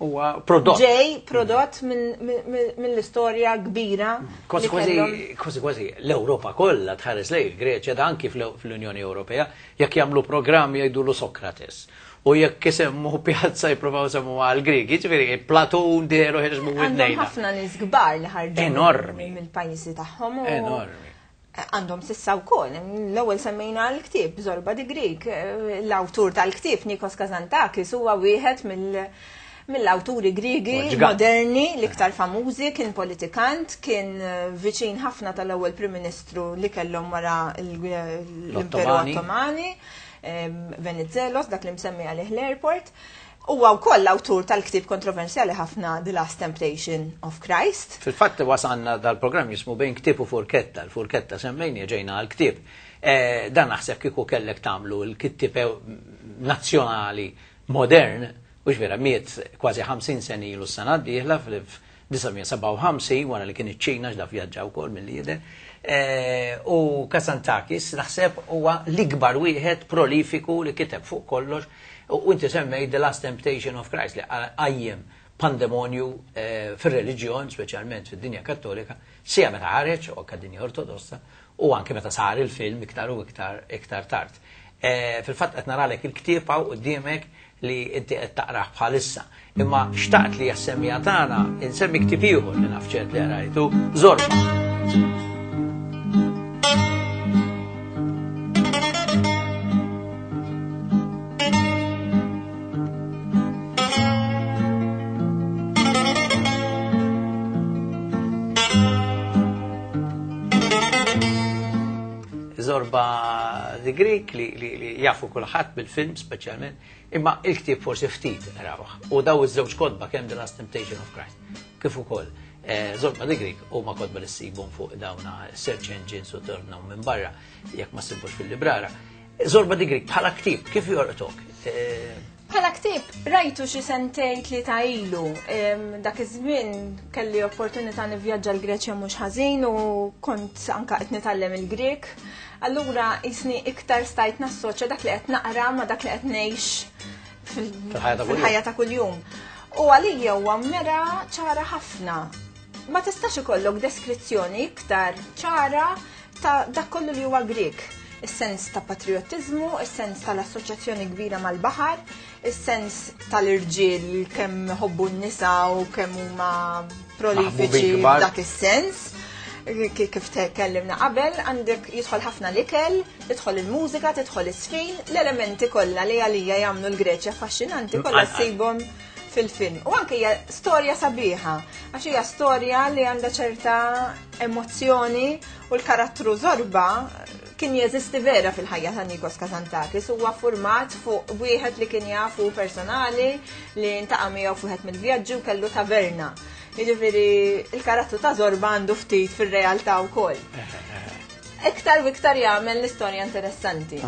huwa prodott. Ġej prodott mill-istorja kbira. Kważi kważi kważi kważi l-Ewropa kollha tħares lejn il-Greċja da anki fl-Unjoni Ewropea jekk jagħmlu programm jgħidulu Sokrates. U jekk isemmu pjazza jippruvaw isemmu għal Griegi, ġifieri Platun dehru ħirġmu Għandhom widnejna. ħafna nies kbar li ħarġu Enormi. mill-pajjiżi tagħhom u Enormi. Għandhom sissa wkoll. L-ewwel semmejna l-ktieb Zorba the Greek. L-awtur tal-ktieb Nikos Kazantzakis huwa wieħed mill-awturi Griegi Huwa ġgant. moderni l-iktar famużi, kien politikant, kien viċin ħafna tal-ewwel Prim Ministru li kellhom wara l-Imperu L-Ottomani. Ottomani, Venizelos, dak li msemmi għalih l-airport. Huwa wkoll l-awtur tal-ktieb kontroversjali ħafna The Last Temptation of Christ. Fil-fatt wasanna dal-programm jismu bejn ktieb u furketta. L-furketta semmejni ġejna għal-ktieb. Dan naħseb kieku kellek tagħmlu l-kittieb nazzjonali modern, u vera miet kważi 50 sena ilu s-sena d-dieħla fl-1957 wara li kien iċ-Ċina x'da vjaġġa wkoll mill-lider. U Kazantzakis naħseb huwa l-ikbar wieħed prolifiku li kiteb fuq kollox. U inti semmej The Last Temptation of Christ li qajjem pandemonju fir-reliġjon, speċjalment fid-dinja kattolika, sija meta ħareġ u anke dinja ortodossa, u anke meta sar il-film iktar u iktar, iktar tard. Fil-fatt qed naralek il-ktieb hawn quddiemek li inti qed taqrah bħalissa. Imma xtaqt li jassemmija tagħna insemmi ktieb ieħor li naf ċert li rajtu, Zorba. Zorba the Greek li, li, li jafu kulħadd bil-film speċjalment, imma il-ktieb forsi ftit rawh. U daw iż-żewġ kotba kemm The Last Temptation of Christ kif ukoll eh, Zorba the Greek huma kotba li ssibhom fuq dawna search engines u tornaw minn barra jekk ma ssibux fil-librara. Zorba the Greek bħala ktieb kif jorqtok? Eh, Bħala ktieb rajtu xi sentejn tlieta ilu. Dak iż-żmien kelli opportunità nivvjaġġa l-Greċja mhux ħażin u kont anka qed nitgħallem il-Grek. Allura jisni iktar stajt nassoċja dak li qed naqra ma dak li qed ngħix fil-ħajja ta' kuljum. U għalija huwa mera ċara ħafna. Ma tistax ikollok deskrizzjoni iktar ċara ta' dak kollu li huwa Grek. Is-sens ta' patriottiżmu, is-sens tal-assoċjazzjoni kbira mal-baħar, is-sens tal-irġiel kemm ħobbu n-nisa u kemm huma prolifiċi f'dak is-sens. Kif tkellimna qabel, għandek jidħol ħafna l-ikel, tidħol il-mużika, tidħol is-sfin, l-elementi kollha li għalija jagħmlu l-Greċja affaxxinanti kollha ssibhom fil-film. U anke hija storja sabiħa, għax hija storja li għandha ċerta emozzjoni u l-karattru Zorba kien jeżisti vera fil-ħajja ta' Nikos Kazantzakis, huwa format fuq wieħed li kien jafu personali li ntaqa' miegħu fuq mill-vjaġġi u kellu taverna. Jiġifieri il-karattru ta' Zorba għandu ftit fir-realtà wkoll. Iktar u iktar jagħmel l-istorja interessanti.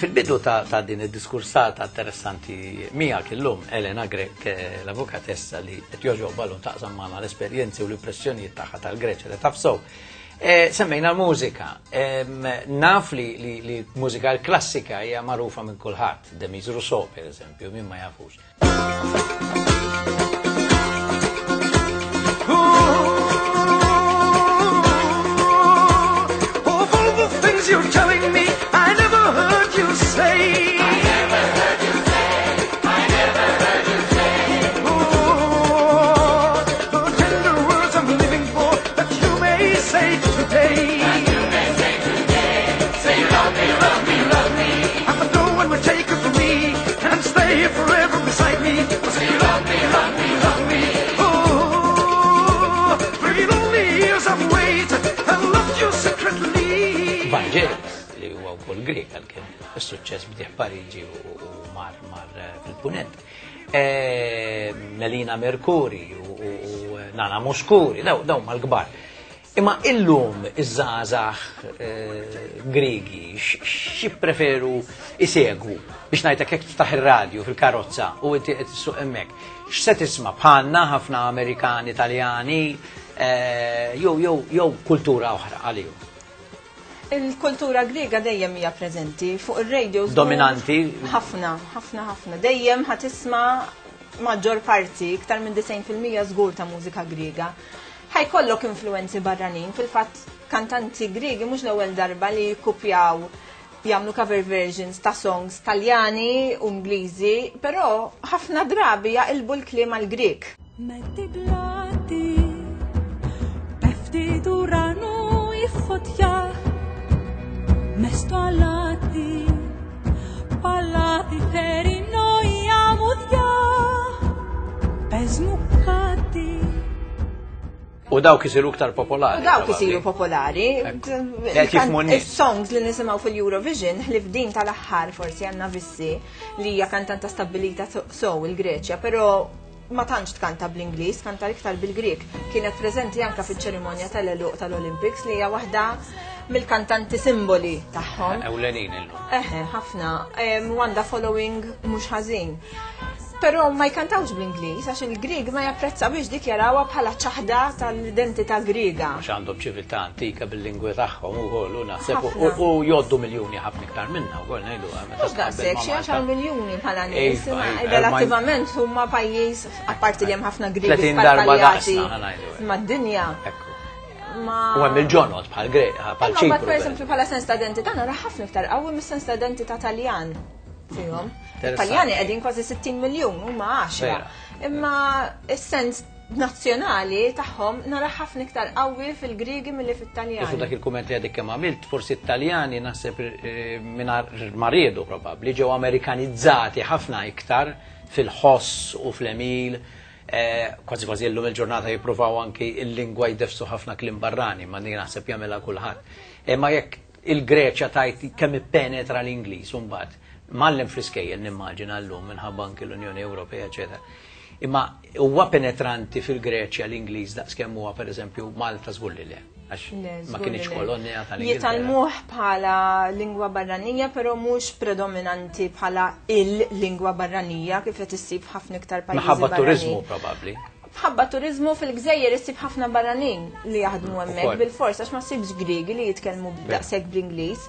Fil-bidu ta', ta din id-diskursata interessanti miegħek illum Elena Grech, eh, l-avukatessa li qed jogħġobha llum taqsam magħna l-esperjenzi u l-impressjonijiet tagħha tal-Greċja li taf sew. Eh, semmejna l-mużika. Naf li, li, li mużika l-klassika hija magħrufa minn kulħadd, Demis Rousseau per eżempju, min ma jafux. Of all the things you're telling me, I never heard you say. I never heard you say. I never heard you say. Oh, the tender words I'm living for that you may say today. That you may say today. Say you love me, love me, love me. And no one will take it from me and stay forever beside me. Say you love me, love me, love me. Oh, three lonely years I've waited and loved you secretly. Vangelis, li huwa wkoll Grek għalkemm is-suċċess bdieh Pariġi u u mar mar eh, fil-punent. Eh, Melina Mercuri u, u, u Nana Mouskouri, daw, daw mal-kbar. Imma illum iż-żgħażagħ eh, Griegi x'jippreferu isegwu biex ngħidlek jekk tiftaħ ir-radju fil-karozza u inti qed issuq hemmhekk. X'se tisma' bħalna ħafna Amerikani, Taljani, eh, jew jew jew kultura oħra għalihom. Il-kultura Griega dejjem hija preżenti fuq ir-radio. Dominanti. Ħafna, ħafna, ħafna. Dejjem ħa tisma' maġġor parti, iktar minn 90% żgur ta' mużika Griega. Ħa jkollok influenzi barranin, fil-fatt kantanti Griegi mhux l-ewwel darba li jikkupjaw jagħmlu cover versions ta' songs Taljani u Ingliżi, però ħafna drabi jaqilbu l-kliem għal Grieg. Με την πλάτη πέφτει του ουρανού η φωτιά μες στο αλάτι, παλάτι θερινό η αμμουδιά. Πες μου κάτι. U dawk isiru iktar popolari. U dawk probabbli. isiru popolari. Qed jifhmu n-nies. Is-songs li nisimgħu fil-Eurovision, ħlief din tal-aħħar forsi għandna Vissi li hija kantanta stabbilita sew il-Greċja, però ma tantx tkanta bl-Ingliż, kanta iktar bil-Grek. Kienet preżenti anka fiċ-ċerimonja tal-għeluq tal-Olympics li hija waħda mill-kantanti simboli tagħhom. Ewlenin illum. Eħe, ħafna. U għandha following mhux ħażin. Però ma jkantawx bl-Ingliż għax il-Grieg ma japprezzawhiex dik jarawha bħala ċaħda tal-identità Griega. Għax għandhom ċiviltà antika bil-lingwi tagħhom ukoll u naħseb u jgħoddu miljuni ħafna iktar minna wkoll ngħidu. Mhux daqshekk xi għaxar miljuni bħala nies, relattivament huma pajjiż apparti li hemm ħafna Griegi sparpaljati mad-dinja. Ma... U hemm il-ġonot bħal Grek, bħal Ċipru. Per eżempju bħala sens ta' identità nara ħafna iktar qawwi mis-sens ta' identità Taljan. fihom. Taljani qegħdin kważi 60 miljun huma 10. Imma is-sens nazzjonali tagħhom nara ħafna iktar qawwi fil-Griegi milli fit-Taljani. Fuq dak il-kumment li għadek kemm għamilt, forsi t-Taljani naħseb eh, mingħajr ma riedu probabbli ġew Amerikanizzati ħafna iktar fil-ħoss u fl-emil. Eh, kważi kważi llum il-ġurnata jippruvaw anki il-lingwa jdefsu ħafna kliem barrani, ma naħseb jagħmilha kulħadd. Imma eh, jekk Il-Greċja tgħid kemm ippenetra l-Ingliż u mbagħad mgħallem fl-iskejjel nimmaġina llum minħabba anki l-Unjoni Ewropea eċetera. Imma huwa penetranti fil-Greċja l-Ingliż daqs kemm huwa pereżempju Malta żgur li le. Għax ma kienx kolonja tal-Ingilterra. Jitgħallmuh bħala lingwa barranija, però mhux predominanti bħala il-lingwa barranija kif qed issib f'ħafna iktar pajjiżi. Minħabba turiżmu probabbli. B'ħabba turiżmu fil-gżejjer issib ħafna barranin li jaħdmu hemmhekk bil-fors għax ma ssibx Griegi li jitkellmu daqshekk bl-Ingliż.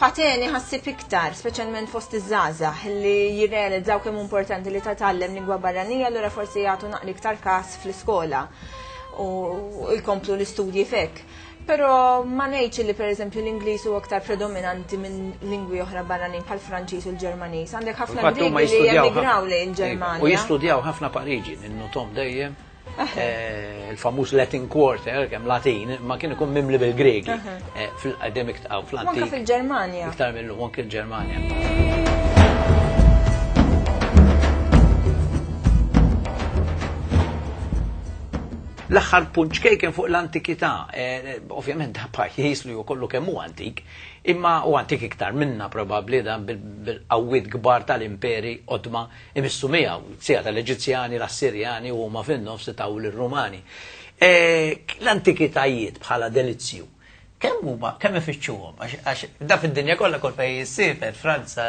F'Ateni ħassib iktar, speċjalment fost iż-żgħażagħ li jirrealizzaw kemm importanti li titgħallem lingwa barranija allura forsi jagħtu naqra iktar każ fl-iskola u jkomplu l-istudji f'hekk. Però ma ngħidx li pereżempju l-Ingliż huwa aktar predominanti minn lingwi oħra barranin bħal Franċiż u l-Ġermaniż. Għandek ħafna Griegi li jemigraw lejn il-Ġermanja. U jistudjaw ħafna Pariġi, ninnotom dejjem. Eh, il-famuż Latin Quarter, kemm Latin, ma kien ikun mimli bil-Gregi eh, fil-qedem iktar fl-antik. Anke fil-Ġermanja. Iktar mill-lum, anke l-Ġermanja. L-aħħar punt ċkejken fuq l-antikità, eh, ovvjament da pajjiż li hu kollu kemm hu antik, imma u antik iktar minna probabbli dan bil-qawwiet kbar tal-imperi qodma imissu miegħu, sija tal-Eġizzjani, l-Assirjani u huma fin-nofs taw lir-Rumani. Eh, l-antikitajiet bħala delizzju Kemm huma, kemm ifittxuhom? Għax da fid-dinja kollha kull fejn jissiefer, Franza,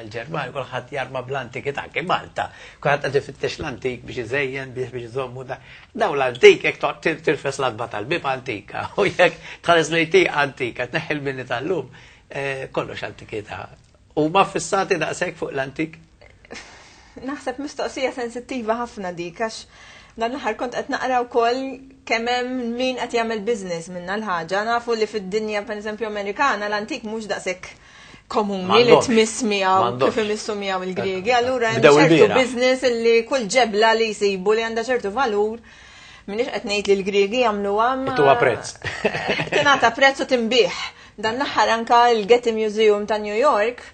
l-Ġermanja, kulħadd jarma bl-antikità, anke Malta, kulħadd qed ifittex l-antik biex iżejjen, biex biex iżommu da. Daw l-antik jekk toqgħod tirfes l-adba tal-bib antika u jekk tħares lejn tieqa antika, tneħħi l-bini tal-lum, eh, kollox antikità. Huma ffissati daqshekk fuq l-antik? Naħseb mistoqsija sensittiva ħafna dik għax dan l-aħħar kont qed naqra wkoll kemm hemm min qed jagħmel business minna l-ħaġa. Nafu li fid-dinja pereżempju Amerikana l-antik mhux daqshekk komuni li tmiss miegħu kif imissu miegħu il-Griegi. Allura hemm ċertu business li kull ġebla li jsibu li għandha ċertu valur. Minix qed ngħid li l-Griegi jagħmluha ma. Tuha prezz. Tingħata prezz u tinbih. Dan l-aħħar anka l-Getty Museum ta' New York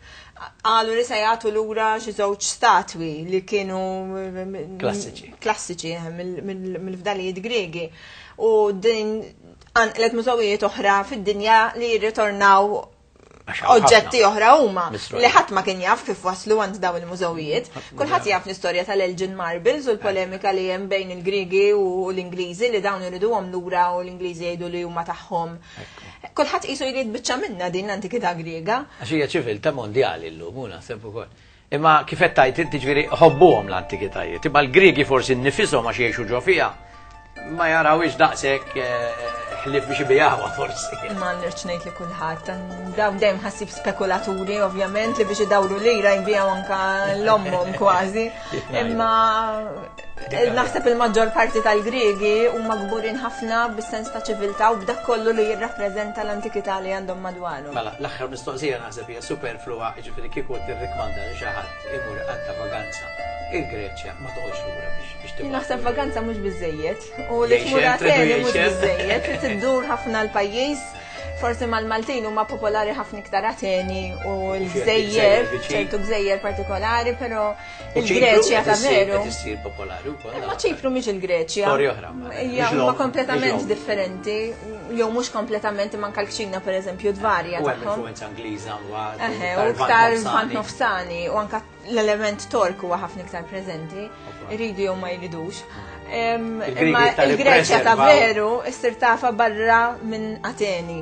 qalu li se jagħtu lura xi żewġ statwi li kienu klassiċi. Klassiċi eh, mill-fdalijiet Griegi. U din għanqlet mużewijiet oħra fid-dinja li jirritornaw oġġetti oħra huma li ħadd ma kien jaf kif waslu għand dawn il-mużewijiet. Kulħadd jaf l-istorja tal-Elgin Marbles u l-polemika li hemm bejn il-Griegi u l-Ingliżi li dawn iriduhom lura u l-Ingliżi jgħidu li huma tagħhom. Kulħadd qisu jrid biċċa minna din l-antikità Griega. Għax hija ċiviltà mondjali llum, u naħseb ukoll. Imma kif qed tgħid inti ġifieri ħobbuhom l-antikitajiet, imma l-Griegi forsi nnifisom għax jgħixu ġo fiha ma jarawhiex daqshekk eh, ħlief biex ibijawha forsi. Ma nirċ ngħid li kulħadd, dawn dejjem ħassib spekulaturi ovvjament li biex idawru lira jbijaw anka l-ommhom kważi. Imma Naħseb il-maġġor parti tal-Griegi huma kburin ħafna bis-sens ta' ċiviltà u b'dak kollu li jirrappreżenta l-antikità li għandhom madwarhom. Mela, l-aħħar mistoqsija naħseb hija superflua, jiġifieri kieku tirrikmanda li xi ħadd imur iqatta' vaganza il-Greċja ma toqgħodx lura biex tibgħat. Naħseb vaganza mhux biżejjed u li tmur Ateni mhux biżejjed, trid iddur ħafna l-pajjiż. Forsi mal-Maltin huma popolari ħafna iktar Ateni u l-gżejjer, ċertu gżejjer partikolari, però Il-Greċja ta' veru. Issir popolari wkoll. Ma Ċipru mhix il-Greċja. Storja oħra. Hija huma kompletament differenti, jew mhux kompletament imma anke l-kċina pereżempju tvarja. U hemm influenza Ingliża mbagħad. U iktar vant nofsani u anke l-element Tork huwa ħafna iktar preżenti. Iridu jew ma jridux. Imma il-Greċja ta' veru issir tafa barra minn Ateni.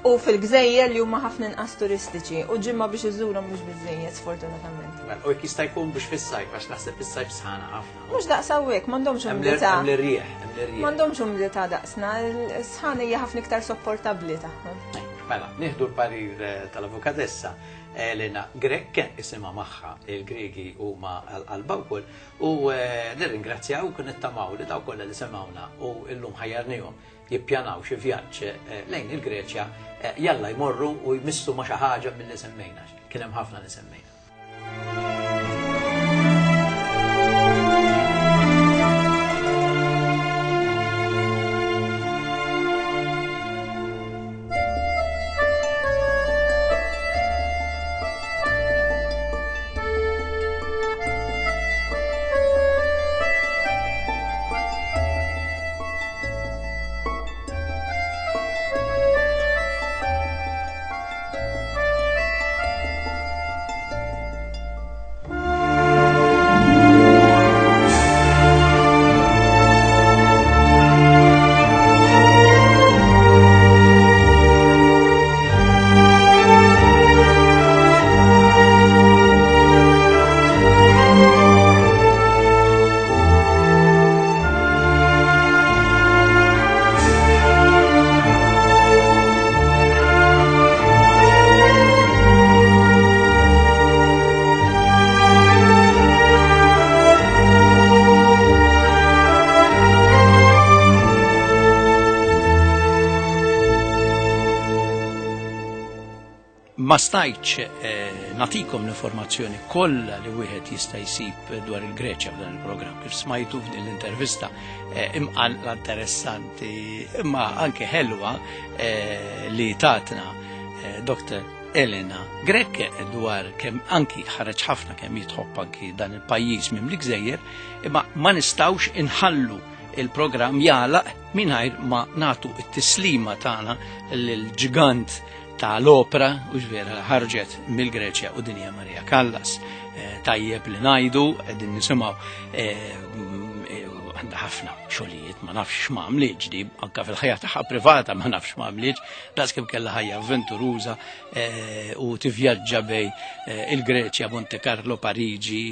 U fil-gżejjer li huma ħafna inqas turistiċi u ġimma biex iżurhom mhux biżejjed sfortunatament. Mela, u jekk jista' jkun biex fis-sajf għax naħseb fis-sajf sħana ħafna. Mhux daqs hawnhekk, m'għandhomx umdità. Hemm l-irrieħ, hemm l-irrieħ. M'għandhomx umdità daqsna, s-sħana hija ħafna iktar sopportabbli tagħhom. Mela, nieħdu l-parir eh, tal-avukatessa Elena Grek, isimha magħha il-Griegi huma għall-qalba wkoll, u eh, nirringrazzjaw u nittamaw li dawk kollha li semgħuna u llum ħajjarnihom jippjanaw xi vjaġġ eh, lejn il-Greċja, eh, jalla jmorru u jmissu ma xi ħaġa milli semmejna. Kien hemm ħafna li semmejna. Ma stajtx eh, natikom l-informazzjoni kollha li wieħed jista' jsib dwar il-Greċja f'dan il-programm. Kif smajtu f'din l-intervista eh, imqanqla interessanti imma anke ħelwa eh, li tatna Dr. Elena Grek dwar kemm anki ħareġ ħafna kemm jitħobb anki dan il-pajjiż mimli gżejjer, imma ma nistgħux inħallu il-programm jagħlaq mingħajr ma nagħtu t-tislima tagħna lill-ġgant ta' l-opra u ġvera ħarġet mill-Greċja u dinja Maria Callas. Eh, tajjeb li najdu, qegħdin nisimgħu eh, eh, għandha ħafna xogħlijiet, ma nafx ma għamlitx di, anka fil-ħajja tagħha privata ma nafx ma għamlitx, daqs kemm kellha ħajja avventuruża u tivvjaġġa bej il-Greċja, Monte Carlo, Pariġi,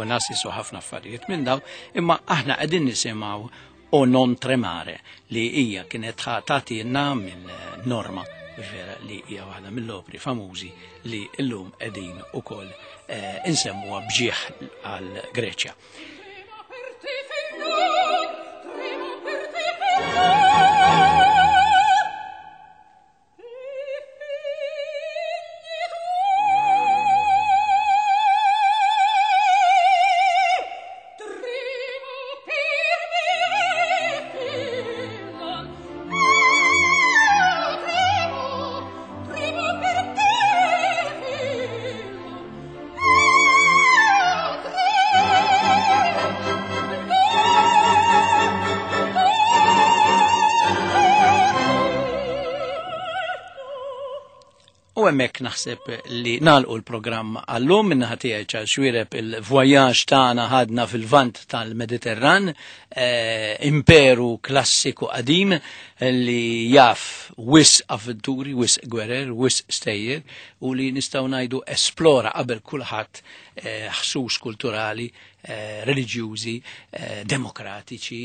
Onassis u ħafna affarijiet minn daw, imma aħna qegħdin nisimgħu O non tremare li hija kienet ħa tagħtilna minn Norma vera li hija waħda mill-opri famużi li llum qegħdin ukoll eh, insemmuha bġieħ għal Greċja. U hemmhekk naħseb li nagħlqu l-programm għallum minnaħa tiegħi ċar xwireb il-voyaġġ tagħna ħadna fil-vant tal-Mediterran, eh, imperu klassiku qadim li jaf wis avventuri, wis gwerer, wis stejjer u li nistgħu ngħidu esplora qabel kulħadd eh, ħsus kulturali, eh, reliġjużi, demokratiċi,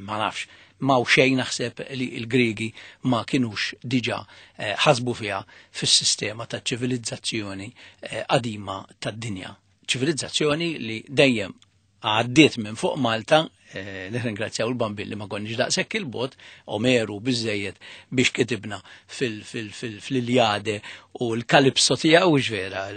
ma nafx M'hawn xejn naħseb li l-Griegi ma kinux diġà eh, ħasbu fiha fis-sistema ta' ċivilizzazzjoni eh, qadima tad-dinja. Ċivilizzazzjoni li dejjem għaddiet minn fuq Malta, eh, nirringrazzjaw il-Bambin li ma konniex daqshekk il-bot, Omeru biżejjed biex kitibna fil-Iljade u l-Kalipso tiegħu vera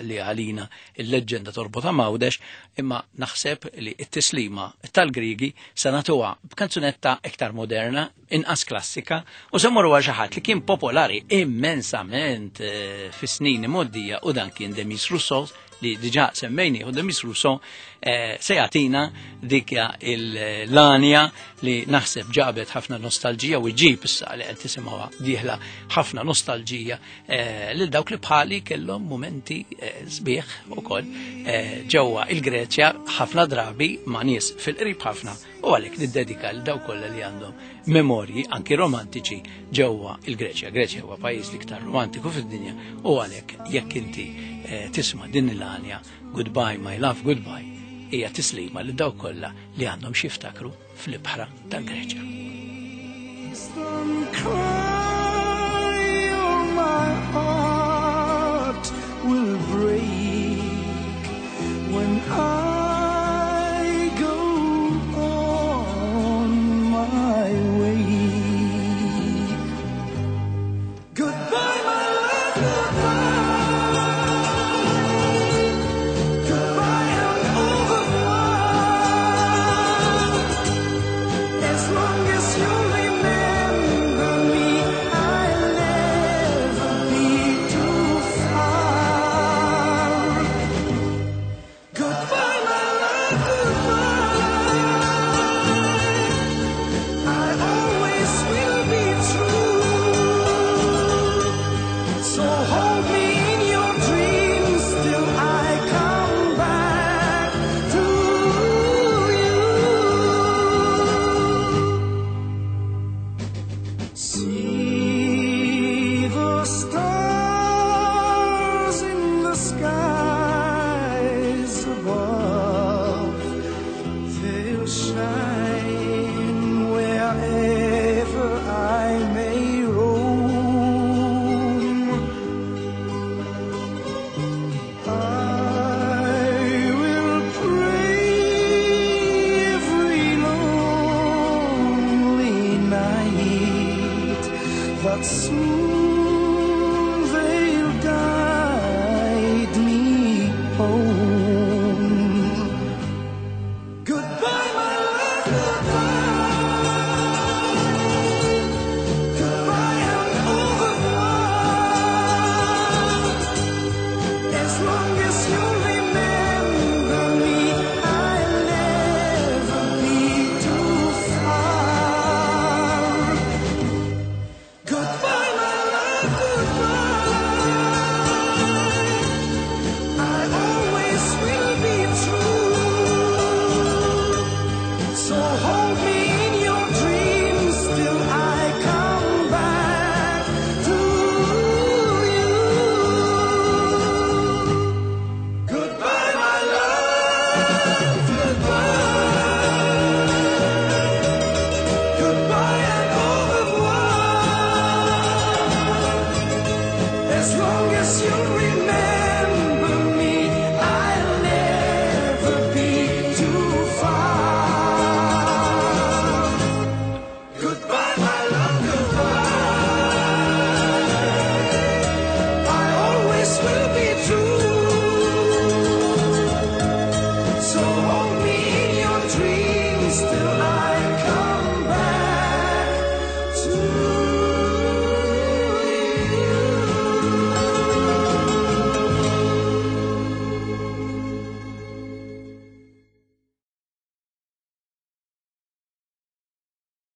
li għalina il-leġġenda torbota m'Għawdex, imma naħseb li t-tislima tal-Griegi se nagħtuha b'kanzunetta iktar moderna, inqas klassika, u se mmorru għal xi ħadd li kien popolari immensament eh, fis-snin imgħoddija u dan kien Demis Roussos li diġà semmejni u Demis Russo se jagħtina dik l-anja li naħseb ġabet ħafna nostalġija u ġib issa li qed tisimgħuha dieħla ħafna nostalġija lil dawk li bħali kellhom mumenti sbieħ ukoll ġewwa il-Greċja ħafna drabi ma' nies fil-qrib ħafna u għalhekk niddedika lil dawk kollha li għandhom memorji anki romantiċi ġewwa il-Greċja. Greċja huwa pajjiż l-iktar romantiku fid-dinja u għalhekk jekk inti tisma' din l-għanja Goodbye My Love Goodbye hija tislima lil dawk kollha li għandhom xi jiftakru fl-ibħra tal-Greċja. Don't cry, or my heart will break when I go on my way. Goodbye, my love, goodbye. Goodbye and au revoir. As long as you remember me, I'll never be too far. Goodbye, my love, goodbye. I always will be true. So hold me in your dreams till I come back to you. See the stars in the skies above. They'll shine wherever I may roam. I will pray every lonely night that soon they'll guide me home. Goodbye, my love, goodbye.